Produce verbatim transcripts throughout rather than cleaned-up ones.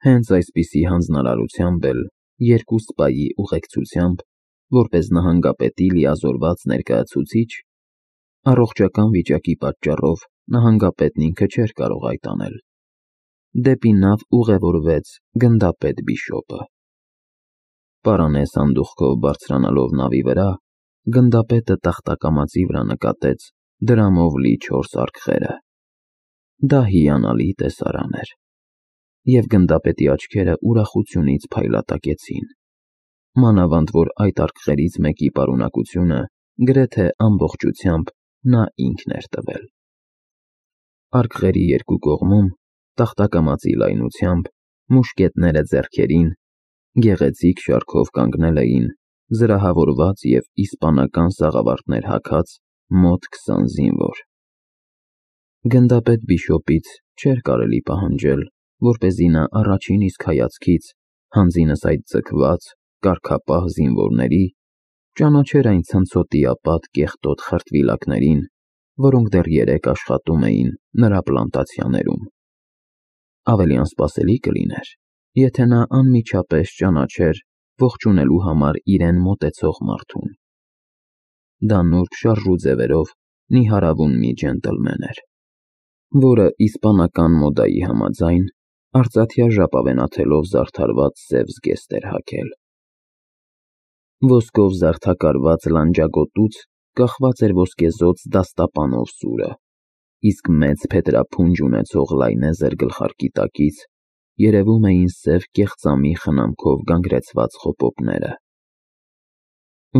Հենց այսպիսի հանձնարարությամբ էլ երկու սպայի ուղեկցությամբ, որպես նահանգապետի լիազորված ներկայացուցիչ, առողջական վիճակի պատճառով նահանգապետն ինքը չէր կարող այդ անել, դեպի նավ ուղևորվեց գնդապետ Բիշոպը։ Պարանե սանդուղքով բարձրանալով նավի վրա, գնդապետը տախտակամածի վրա նկատեց դրամով լի չորս արկղերը։ Դա հիանալի տեսարան էր, և գնդապետի աչքերը ուրախությունից փայլատակեցին, մանավանդ որ այդ արկղերից մեկի պարունակությունը գրեթե ամբողջությամբ նա ինքն էր տվել։ Արկղերի երկու կողմում, տախտակամածի լայնությամբ, մուշկետները ձեռքերին, գեղեցիկ շարքով կանգնել էին զրահավորված և իսպանական սաղավարտներ հագած մոտ քսան զինվոր։ Գնդապետ Բիշոպից չէր կարելի պահանջել, որպեսզի նա առաջին իսկ հայացքից, հանձինս այդ ձգված, կարգապահ զինվորների, ճանաչեր այն ցնցոտիապատ կեղտոտ խրտվիլակներին, որոնք դեռ երեկ աշխատում էին նրա պլանտացիաներում։ Ավելի անսպասելի կլիներ, եթե նա անմիջապես ճանաչեր ողջունելու համար իրեն մոտեցող մարդուն։ Դա նուրբ շարժու ձևերով նիհարավուն մի ջենտլմեն էր, որը իսպանական մոդայի համաձայն արծաթյա ժապավենաթելով զարդարված սև զգեստ էր հագել։ Ոսկով զարդաքարված լանջագոտուց կախված էր ոսկեզօծ դաստապանով սուրը, իսկ մեծ փետրափունջ ունեցող լայնեզր գլխարկի տակից երևում էին սև կեղծամի խնամքով գանգրեցված խոպոպները։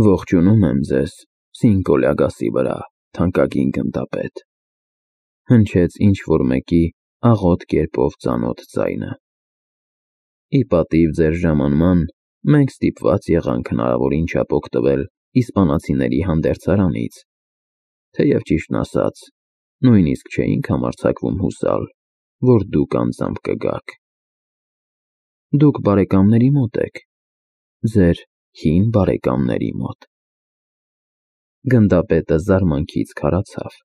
«Ողջունում եմ ձեզ Սինկո Լյագասի վրա, թանկագին գնդապետ», հնչեց ինչ-որ մեկի աղոտ կերպով ծանոթ ձայնը։ «Ի պատիվ ձեր ժամանման, մենք ստիպված եղանք հնարավորին չափ օգտվել իսպանացիների հանդերձարանից, թեև ճիշտն ասած, նույնիսկ չէինք համարձակվում հուսալ, որ դուք անձամբ կգաք։ Դուք բարեկամների մոտ եք, ձեր հին բարեկամների մոտ»։ Գնդապետը զարմանքից քարացավ։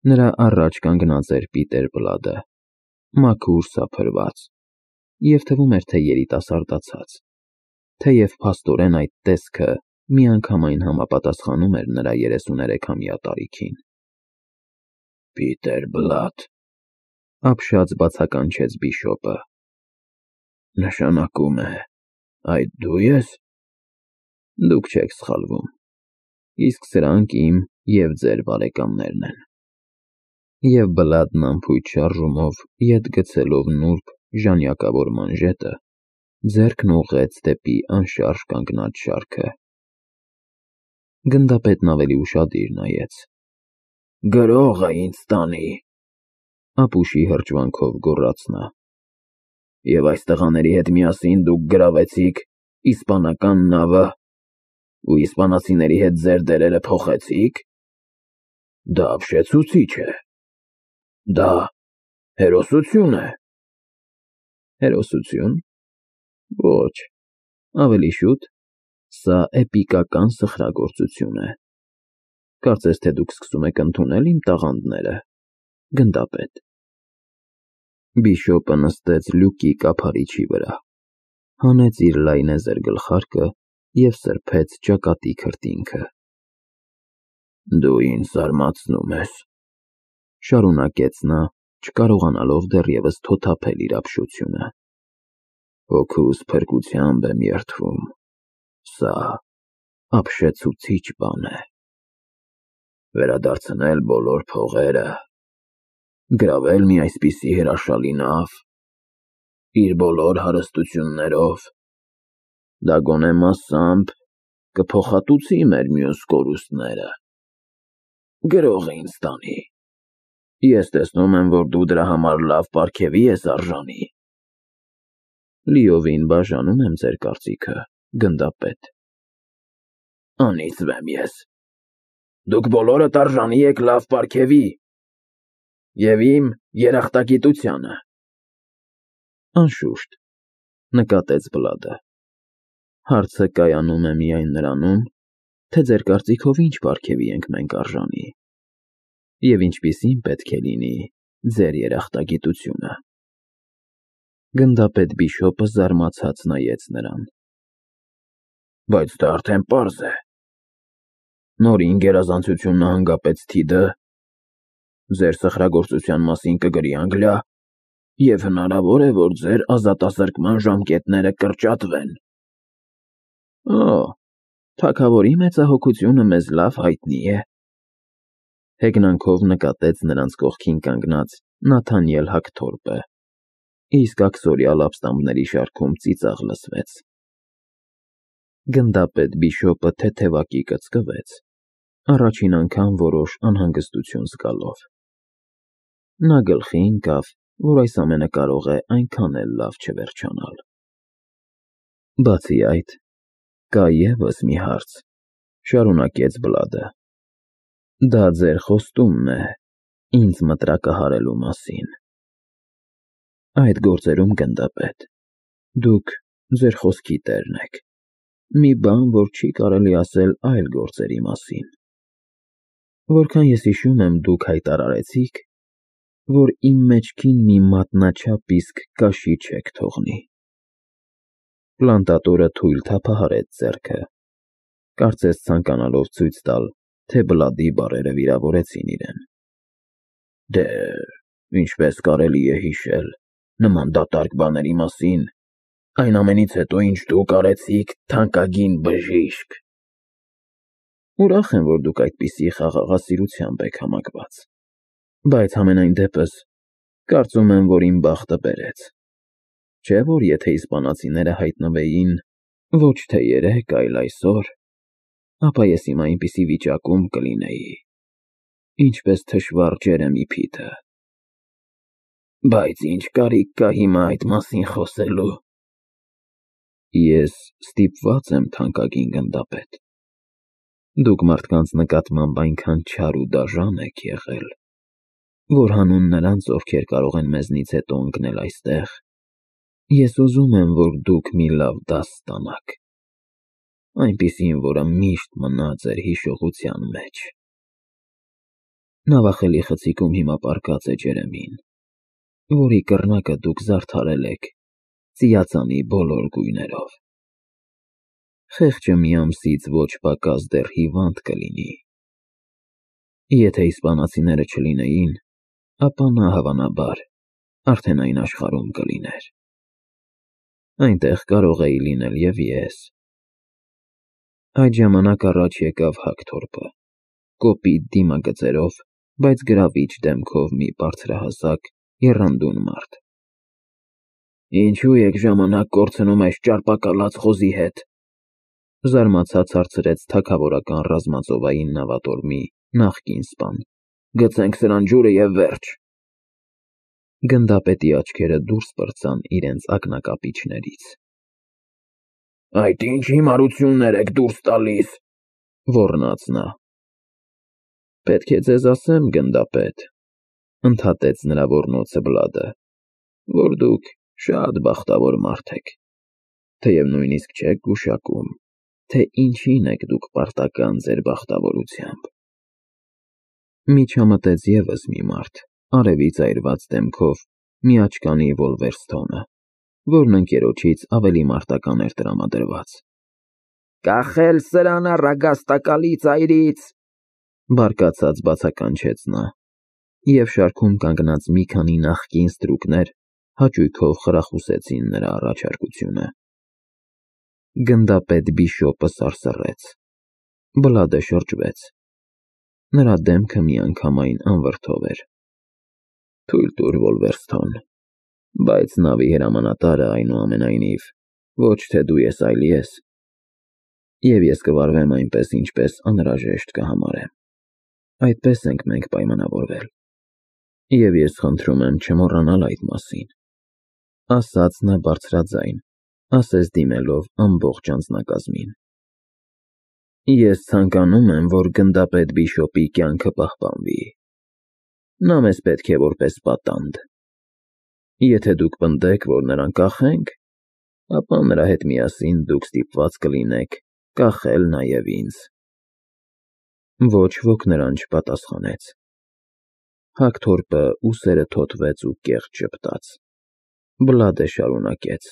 Նրա առաջ կանգնած էր Պիտեր Բլադը, մաքուր սափրված, և թվում էր, թե երիտասարդացած, թեև փաստորեն այդ տեսքը միանգամայն համապատասխանում էր նրա երեսուներեքամյա տարիքին։ «Պիտեր Բլադ», ապշած բացականչեց Բիշոպը, «նշանակում է այդ դու ես»։ Դուք չեք սխալվում, իսկ սրանք իմ և ձեր բարեկամներն են։ Եվ Բլադն անփույթ շարժումով ետ գցելով նուրբ ժանյակավոր մանժետը, ձեռքն ուղղեց դեպի անշարժ կանգնած շարքը։ Գնդապետն ավելի ուշադիր նայեց։ «Գրողը ինձ տանի», ապուշի հրճվանքով գոռաց նա։ «Եվ այս տղաների հետ միասին դուք գրավեցիք իսպանական նավը ու իսպանացիների հետ ձեր դերերը փոխեցի՞ք։ Դա ապշեցուցիչ է։ Դա հերոսություն է»։ Հերոսությո՞ւն։ Ոչ, ավելի շուտ սա էպիկական սխրագործություն է։ Կարծես թե դուք սկսում եք ընդունել իմ տաղանդները, գնդապետ։ Բիշոպը նստեց լյուկի կափարիչի վրա, հանեց իր լայնեզր գլխարկը և սրբեց ճակատի քրտինքը։ «Դու ինձ զարմացնում ես», շարունակեց նա, չկարողանալով դեռևս թոթափել իր ապշությունը։ «Հոգուս փրկությամբ եմ երդվում, սա ապշեցուցիչ բան է։ Վերադարձնել բոլոր փողերը, գրավել մի այսպիսի հրաշալի նավ, իր բոլոր հարստություններով, դա գոնե մասամբ կփոխհատուցի մեր մյուս կորուստները։ Գրողը ինձ տանի։ Ես տեսնում եմ, որ դու դրա համար լավ պարգևի ես արժանի»։ Լիովին բաժանում եմ ձեր կարծիքը, գնդապետ։ «Անիծվեմ ես։ Դուք բոլորդ արժանի եք լավ պարգևի և իմ երախտագիտությանը»։ Անշուշտ, նկատեց Բլադը, հարցը կայանում է միայն նրանում, թե ձեր կարծիքով ինչ պարգևի ենք մենք արժանի, և ինչպիսին պետք է լինի ձեր երախտագիտությունը։ Գնդապետ Բիշոպը զարմացած նայեց նրան։ Բայց դա արդեն պարզ է։ Նորին գերազանցությունը հանգապեց Թիդը, ձեր սխրագործության մասին կգրի Անգլիա, և հնարավոր է, որ ձեր ազատազրկման ժամկետները կրճատվեն։ Օ, թագավորի մեծահոգությունը մեզ լավ հայտնի է։ Հեգնանքով նկատեց նրանց կողքին կանգնած Նաթանիել Հագթորպը, իսկ աքսորյալ ապստամբների շարքում ծիծաղ լսվեց։ Գնդապետ Բիշոպը թեթևակի կծկվեց, առաջին անգամ որոշ անհանգստություն զգալով։ Նա գլխի ընկավ, որ այս ամենը կարող է այնքան էլ լավ չվերջանալ։ Բացի այդ, կա ևս մի հարց, շարունակեց Բլադը։ Դա ձեր խոստումն է ինձ մտրակահարելու մասին։ Այդ գործերում, գնդապետ, դուք ձեր խոսքի տերն եք, մի բան, որ չի կարելի ասել այլ գործերի մասին։ Որքան ես հիշում եմ, դուք հայտարարեցիք, որ իմ մեջքին մի մատնաչափ իսկ կաշի չեք թողնի։ Պլանտատորը թույլ թափահարեց ձեռքը, կարծես ցանկանալով ցույց տալ, թե Բլադի բառերը վիրավորեցին իրեն։ Դե, ինչպես կարելի է հիշել նման դատարկ բաների մասին, այն ամենից հետո, ինչ դուք արեցիք, թանկագին բժիշկ։ Ուրախ եմ, որ դուք այդպիսի խաղաղասիրությամբ եք համակված, բայց համենայն դեպս, կարծում եմ, որ իմ բախտը բերեց։ Չէ՞ որ եթե իսպանացիները հայտնվեին ոչ թե երեկ, այլ այսօր, ապա ես հիմա այնպիսի վիճակում կլինեի, ինչպես թշվառ Ջերեմի Փիթը։ Բայց ինչ կարիք կա հիմա այդ մասին խոսելու։ Ես ստիպված եմ, թանկագին գնդապետ։ Դուք մարդկանց նկատմամբ այնքան չար ու դաժան եք եղել, որ հանուն նրանց, ովքեր կարող են մեզնից հետո ընկնել այստեղ, ես ուզում եմ, որ դուք մի լավ դաս ստանաք, այնպիսին, որը միշտ մնա ձեր հիշողության մեջ։ Նավախելի խցիկում հիմա պառկած է Ջերեմին, որի կռնակը դուք զարդարել եք ծիածանի բոլոր գույներով։ Խեղճը մի ամսից ոչ պակաս դեռ հիվանդ կլինի։ Եթե իսպանացիները չլինեին, ապա նա, հավանաբար, արդեն այն աշխարհում կլիներ։ Այնտեղ կարող էի լինել և ես։ Այդ ժամանակ առաջ եկավ Հագթորպը, կոպիտ դիմագծերով, բայց գրավիչ դեմքով մի բարձրահասակ, եռանդուն մարդ։ Ինչու եք ժամանակ կորցնում այս ճարպակալած խոզի հետ, զարմացած հարցրեց թագավորական ռազմածովային նավատորմի նախկին սպան։ Գցենք սրան ջուրը և վերջ։ Գնդապետի աչքերը դուրս պրծան իրենց ակնակապիչներից։ Այդ ինչ հիմարություններ եք դուրս տալիս, ոռնաց նա։ Պետք է ձեզ ասեմ, գնդապետ, ընդհատեց նրա ոռնոցը Բլադը, որ դուք շատ բախտավոր մարդ եք, թեև նույնիսկ չեք գուշակում, թե ինչին եք դուք պարտական ձեր բախտավորությամբ։ Միջամտեց ևս մի մարդ, արևից այրված դեմքով, մի աչկանի Վոլվերստոնը, որն ընկերոջից ավելի մարտական էր տրամադրված։ Կախել սրան առագաստակալի ծայրից, բարկացած բացականչեց նա, և շարքում կանգնած մի քանի նախկին ստրուկներ հաճույքով խրախուսեցին նրա առաջարկությունը։ Գնդապետ Բիշոպը սարսռեց։ Բլադը շրջվեց։ Նրա դեմքը միանգամայն անվրդով էր։ Թույլ տուր, Վոլվերստոն, բայց նավի հրամանատարը, այնուամենայնիվ, ոչ թե դու ես, այլ ես, և ես կվարվեմ այնպես, ինչպես անհրաժեշտ կհամարեմ։ Այդպես ենք մենք պայմանավորվել, և ես խնդրում եմ չմոռանալ այդ մասին, ասաց նա բարձրաձայն, ասես դիմելով ամբողջ անձնակազմին։ Ես ցանկանում եմ, որ գնդապետ Բիշոպի կյանքը պահպանվի։ Նա մեզ պետք է որպես պատանդ։ Եթե դուք պնդեք, որ նրան կախենք, ապա նրա հետ միասին դուք ստիպված կլինեք կախել նաև ինձ։ Ոչ ոք նրան չպատասխանեց։ Հագթորպը ուսերը թոթվեց ու կեղտ ժպտաց։ Բլադը շարունակեց.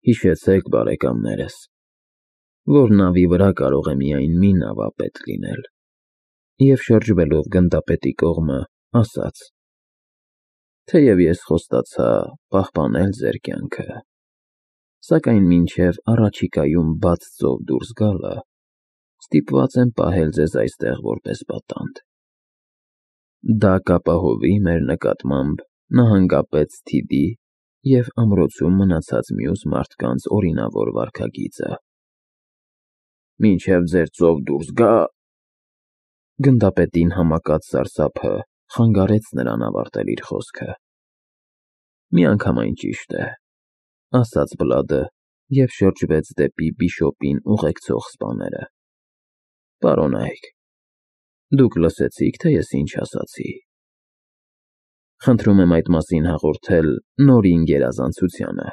Հիշեցեք, բարեկամներս, որ նավի վրա կարող է միայն մի նավապետ լինել, և շրջվելով գնդապետի կողմը, ասաց. Թեև ես խոստացա պահպանել ձեր կյանքը, սակայն մինչև առաջիկայում բաց ծով դուրս գալը, ստիպված եմ պահել ձեզ այստեղ որպես պատանդ։ Դա կապահովի մեր նկատմամբ նահանգապետ Սթիդի և ամրոցում մնացած մյուս մարդկանց օրինավոր վարքագիծը։ Մինչև ձեր ծով դուրս գա… Գնդապետին համակած սարսափը խանգարեց նրան ավարտել իր խոսքը։ Միանգամայն ճիշտ է, ասաց Բլադը և շրջվեց դեպի բիշոպին ուղեկցող սպաները։ Պարոնայք, դուք լսեցիք, թե ես ինչ ասացի։ Խնդրում եմ այդ մասին հաղորդել Նորին գերազանցությանը,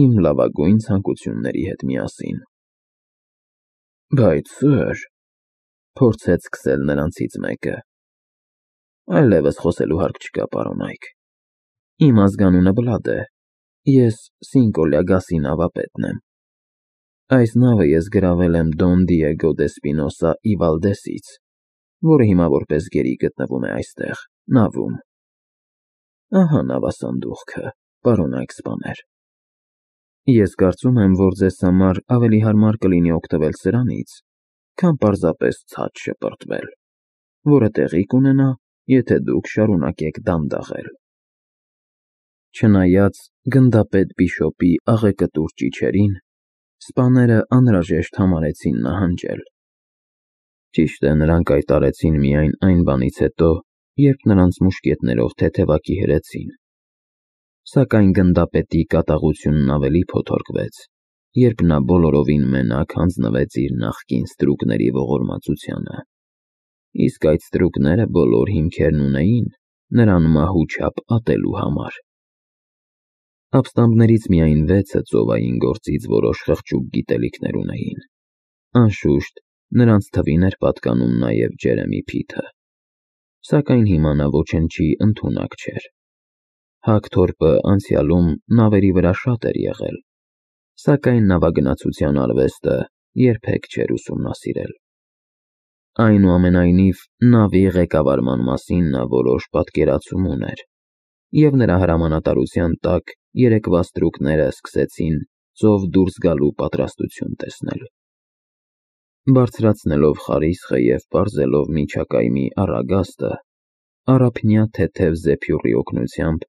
իմ լավագույն ցանկությունների հետ միասին։ Բայց, սըր, փորձեց սկսել նրանցից մեկը։ Այլևս խոսելու հարկ չկա, պարոնայք։ Իմ ազգանունը Բլադ է, ես Սինկոլյագասի նավապետն եմ։ Այս նավը ես գրավել եմ Դոն Դիեգո դե Սպինոսա ի Վալդեսից, որը հիմա որպես գերի գտնվում է այստեղ, նավում։ Ահա նավասանդուղքը, պարոնայք սպաներ։ Ես կարծում եմ, որ ձեզ համար ավելի հարմար կլինի օգտվել սրանից, քան պարզապես ցած շպրտվել, որը տեղի կունենա, եթե դուք շարունակեք դանդաղել։ Չնայած գնդապետ բիշոպի աղեկտուր ճիչերին, սպաները անհրաժեշտ համարեցին նահանջել։ Ճիշտ է, նրանք կայտարեցին միայն այն բանից հետո, երբ նրանց մուշկետներով թեթևակի հրեցին։ Սակայն գնդապետի կատաղությունն ավելի փոթորկվեց, երբ նա բոլորովին մենակ հանձնվեց իր նախկին ստրուկների ողորմածությանը, իսկ այդ ստրուկները բոլոր հիմքերն ունեին նրան մահու չափ ատելու համար։ Ապստամբներից միայն վեցը ծովային գործից որոշ խղճուկ գիտելիքներ ունեին։ Անշուշտ, նրանց թվին էր պատկանում նաև Ջերեմի Փիթը։ Սակայն հիմա նա ոչնչի ընդունակ չէր։ Հագթորպը անցյալում նավերի վրա շատ էր եղել, սակայն նավագնացության արվեստը երբեք չէր ուսումնասիրել։ Այնուամենայնիվ, նավի ղեկավարման մասին նա որոշ պատկերացում ուներ, և նրա հրամանատարության տակ երեկվա ստրուկները սկսեցին ծով դուրս գալու պատրաստություն տեսնել։ Բարձրացնելով խարիսխը և պարզելով միջակայմի առագաստը, առափնյա թեթև զեփյուռի օգնությամբ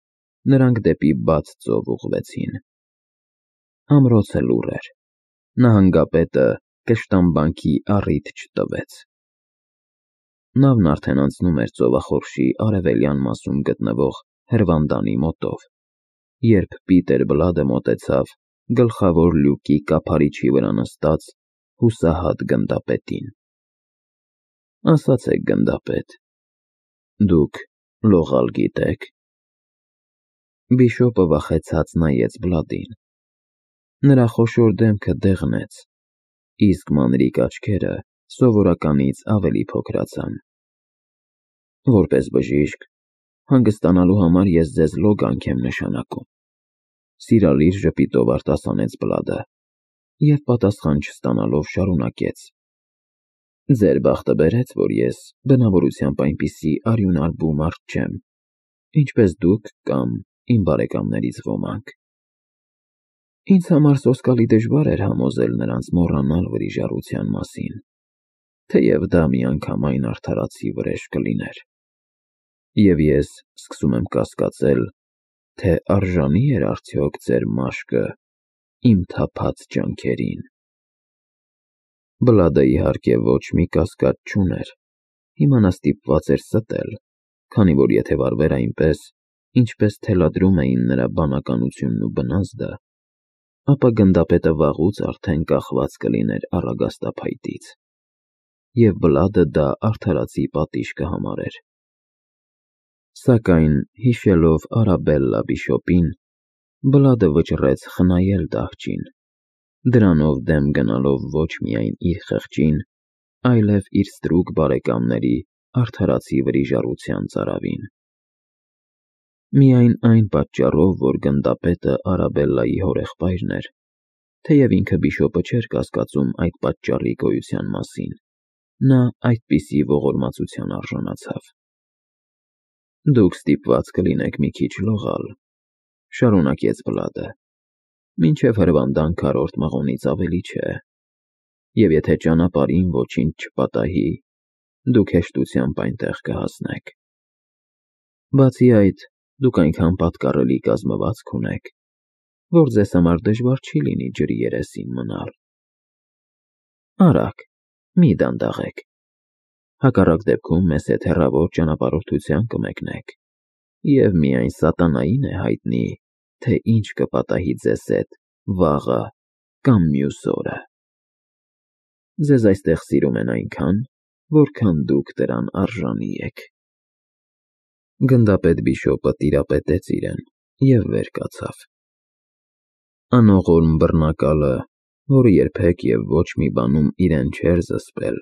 նրանք դեպի բաց ծով ուղղվեցին։ Ամրոցը լուռ էր, նահանգապետը կշտամբանքի առիթ չտվեց։ Նավն արդեն անցնում էր ծովախորշի արևելյան մասում գտնվող հրվանդանի մոտով, երբ Պիտեր Բլադը մոտեցավ գլխավոր լյուկի կափարիչի վրա նստած հուսահատ գնդապետին։ Ասացեք, գնդապետ, դուք լողալ գիտե՞ք։ Բիշոպը վախեցած նայեց Բլադին։ Նրա խոշոր դեմքը դեղնեց, իսկ մանրիկ աչքերը սովորականից ավելի փոքրացան։ Որպես բժիշկ, հանգստանալու համար ես ձեզ լոգանք եմ նշանակում, սիրալիր ժպիտով արտասանեց Բլադը և պատասխան չստանալով շարունակեց. Ձեր բախտը բերեց, որ ես բնավորությամբ այնպիսի արյունարբու մարդ չեմ, ինչպես դուք կամ իմ բարեկամներից ոմանք։ Ինձ համար սոսկալի դժվար էր համոզել նրանց մոռանալ վրիժառության մասին, թեև դա միանգամայն արդարացի վրեժ կլիներ։ Եվ ես սկսում եմ կասկածել, թե արժանի էր արդյոք ձեր մաշկը իմ թափած ջանքերին։ Բլադը, իհարկե, ոչ մի կասկած չուներ, հիմա նա ստիպված էր ստել, քանի որ եթե վարվեր այնպես, ինչպես թելադրում էին նրա բանականությունն ու բնազդը, ապա գնդապետը վաղուց արդեն կախված կլիներ առագաստափայտից, և Բլադը դա արդարացի պատիժ կհամարեր։ Սակայն, հիշելով Արաբելլա բիշոպին, Բլադը վճռեց խնայել դահճին, դրանով դեմ գնալով ոչ միայն իր խեղճին, այլև իր ստրուկ բարեկամների արդարացի վրիժառության ծարավին։ Միայն այն պատճառով, որ գնդապետը Արաբելլայի հորեղբայրն էր, թեև ինքը բիշոպը չէր կասկածում այդ պատճառի գոյության մասին, նա այդպիսի ողորմածության արժանացավ։ Դուք ստիպված կլինեք մի քիչ լողալ, շարունակեց Բլադը, մինչև հրվանդան քառորդ մղոնից ավելի չէ, և եթե ճանապարհին ոչինչ չպատահի, դուք հեշտությամբ այնտեղ կհասնեք։ Բացի այդ, դուք այնքան պատկառելի կազմվածք ունեք, որ ձեզ համար դժվար չի լինի ջրի երեսին մնալ։ Արագ, մի դանդաղեք, հակառակ դեպքում մեզ հետ հեռավոր ճանապարհորդության կմեկնեք, և միայն սատանային է հայտնի, թե ինչ կպատահի ձեզ հետ վաղը կամ մյուս օրը։ Ձեզ այստեղ սիրում են այնքան, որքան դուք դրան արժանի եք։ Գնդապետ բիշոպը տիրապետեց իրեն և վեր կացավ։ Անողորմ բռնակալը, որը երբեք և ոչ մի բանում իրեն չէր զսպել,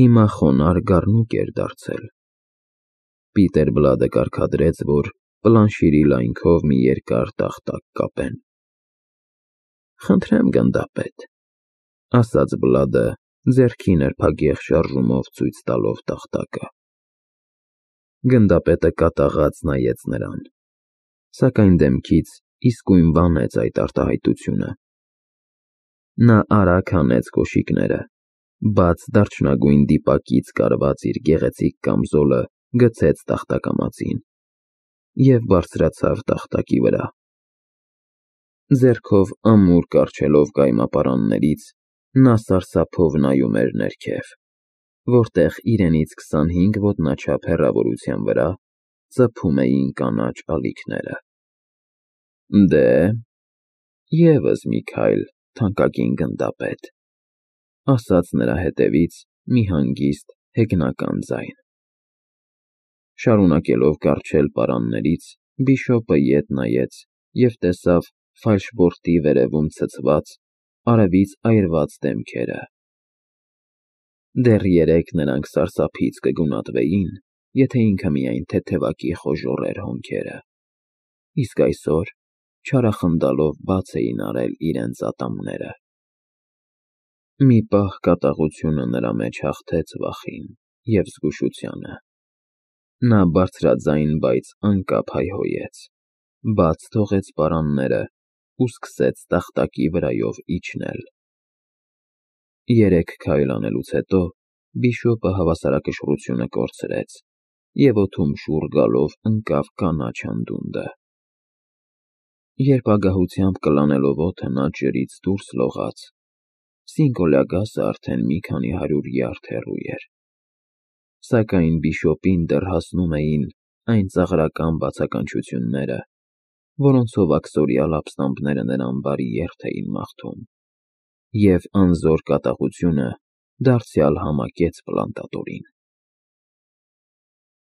հիմա խոնարհ գառնուկ էր դարձել։ Պիտեր Բլադը կարգադրեց, որ պլանշիրի լայնքով մի երկար տախտակ կապեն։ Խնդրեմ, գնդապետ, ասաց Բլադը, ձեռքի նրբագեղ շարժումով ցույց տալով տախտակը։ Գնդապետը կատաղած նայեց նրան, սակայն դեմքից իսկույն վանեց այդ արտահայտությունը։ Նա արագ հանեց կոշիկները, բաց դարչնագույն դիպակից կարված իր գեղեցիկ կամզոլը գցեց տախտակամածին և բարձրացավ տախտակի վրա։ Ձեռքով ամուր կառչելով կայմապարաններից, նա սարսափով նայում էր ներքև, որտեղ իրենից քսանհինգ ոտնաչափ հեռավորության վրա ծփում էին կանաչ ալիքները։ Դե, ևս մի քայլ, թանկագին գնդապետ, ասաց նրա հետևից մի հանգիստ հեգնական ձայն։ Շարունակելով կառչել պարաններից, բիշոպը ետ նայեց և տեսավ ֆալշբորտի վերևում ցցված, արևից այրված դեմքերը։ Դեռ երեկ նրանք սարսափից կգունատվեին, եթե ինքը միայն թեթևակի խոժոռեր հոնքերը, իսկ այսօր չարախնդալով բաց էին արել իրենց ատամները։ Մի պահ կատաղությունը նրա մեջ հաղթեց վախին և զգուշությանը։ Նա բարձրաձայն, բայց անկապ հայհոյեց, բաց թողեց պարանները ու սկսեց տախտակի վրայով իջնել։ Երեք քայլ անելուց հետո բիշոպը հավասարակշռությունը կորցրեց և օդում շուռ գալով ընկավ կանաչ անդունդը։ Երբ ագահությամբ կլանելով օդը նա ջրից դուրս լողաց, Սինկոլյագասը արդեն մի քանի հարյուր յարդ հեռու էր, սակայն բիշոպին դեռ հասնում էին այն ծաղրական բացականչությունները, որոնցով աքսորյալ ապստամբները նրան բարի երթ էին մաղթում, և անզոր կատաղությունը դարձյալ համակեց պլանտատորին։